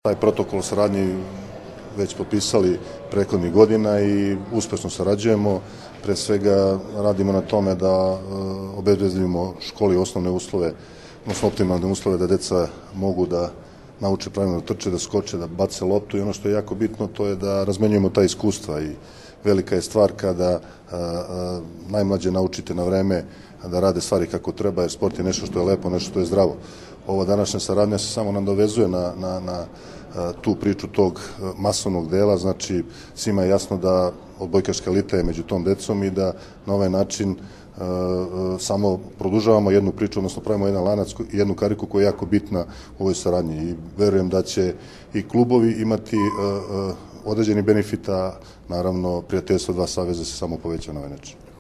Taj protokol saradnji već potpisali prethodnih godina i uspešno sarađujemo. Pre svega radimo na tome da obezbedimo školi osnovne uslove, odnosno optimalne uslove da deca mogu da nauče pravilno da trče, da skoče, da bace loptu i ono što je jako bitno to je da razmenjujemo ta iskustva i velika je stvar kada najmlađe naučite na vreme da rade stvari kako treba, jer sport je nešto što je lepo, nešto što je zdravo. Ova današnja saradnja se samo nadovezuje na tu priču tog masovnog dela, znači svima je jasno da odbojkaška elita je među tom decom i da na ovaj način samo produžavamo jednu priču, odnosno pravimo jedan lanac i jednu kariku koja je jako bitna u ovoj saradnji i verujem da će i klubovi imati određeni benefita, naravno prijateljstvo dva saveza se samo poveća na ovaj način.